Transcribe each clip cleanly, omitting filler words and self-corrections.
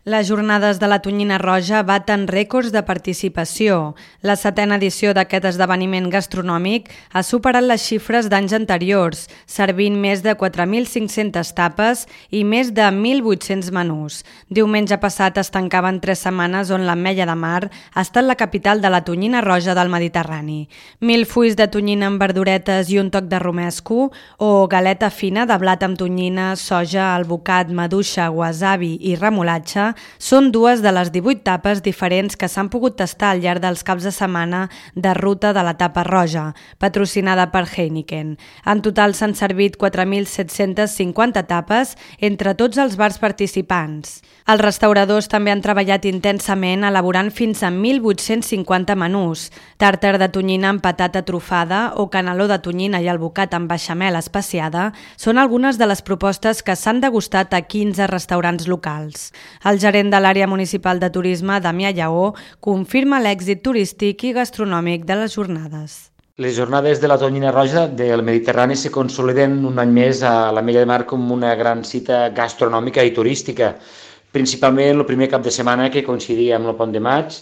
Les jornades de la tonyina roja baten rècords de participació. La 7a edició d'aquest esdeveniment gastronòmic ha superat les xifres d'anys anteriors, servint més de 4.500 tapes i més de 1.800 menús. Diumenge passat es tancaven 3 setmanes on l'Ametlla de Mar ha estat la capital de la tonyina roja del Mediterrani. 1.000 fulls de tonyina amb verduretes i un toc de romesco o galeta fina de blat amb tonyina, soja, alvocat, maduixa, wasabi i remolatxa són dues de les 18 tapes diferents que s'han pogut tastar al llarg dels caps de setmana de ruta de la tapa roja, patrocinada per Heineken. En total s'han servit 4.750 tapes entre tots els bars participants. Els restauradors també han treballat intensament elaborant fins a 1.850 menús. Tàrtar de tonyina amb patata trufada o caneló de tonyina i alvocat amb beixamel especiada són algunes de les propostes que s'han degustat a 15 restaurants locals. El gerent de l'àrea municipal de turisme, Damià Lleó, confirma l'èxit turístic i gastronòmic de les jornades. Les jornades de la tonyina roja del Mediterrani se consoliden un any més a l'Ametlla de Mar com una gran cita gastronòmica i turística. Principalment el primer cap de setmana que coincidia amb el pont de maig.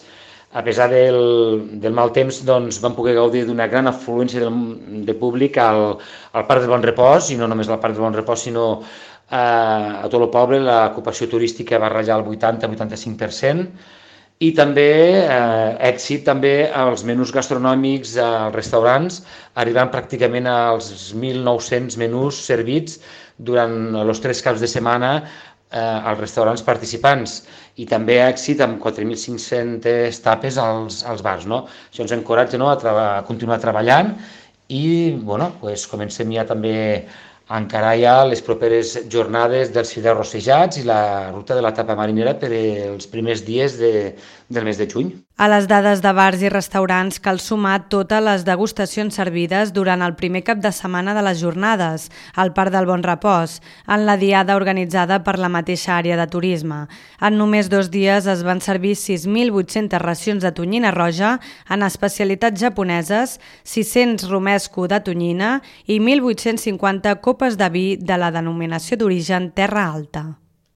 A pesar del mal temps, doncs, vam poder gaudir d'una gran afluència de públic al Parc del Bon Repòs, i no només al Parc del Bon Repòs, sinó a tot el poble. L'ocupació turística va rajar el 80-85%, i també èxit també als menús gastronòmics als restaurants, arribant pràcticament als 1.900 menús servits durant els 3 caps de setmana als restaurants participants, i també èxit amb 4.500 tapes als bars. Això ens encoratja a continuar treballant i comencem ja també a encarar ja les properes jornades dels fideus rossejats i la ruta de la tapa marinera per els primers dies del mes de juny. A les dades de bars i restaurants cal sumar totes les degustacions servides durant el primer cap de setmana de les jornades al Parc del Bon Repòs, en la diada organitzada per la mateixa àrea de turisme. En només 2 dies es van servir 6.800 racions de tonyina roja en especialitats japoneses, 600 romesco de tonyina i 1.850 copes de vi de la denominació d'origen Terra Alta.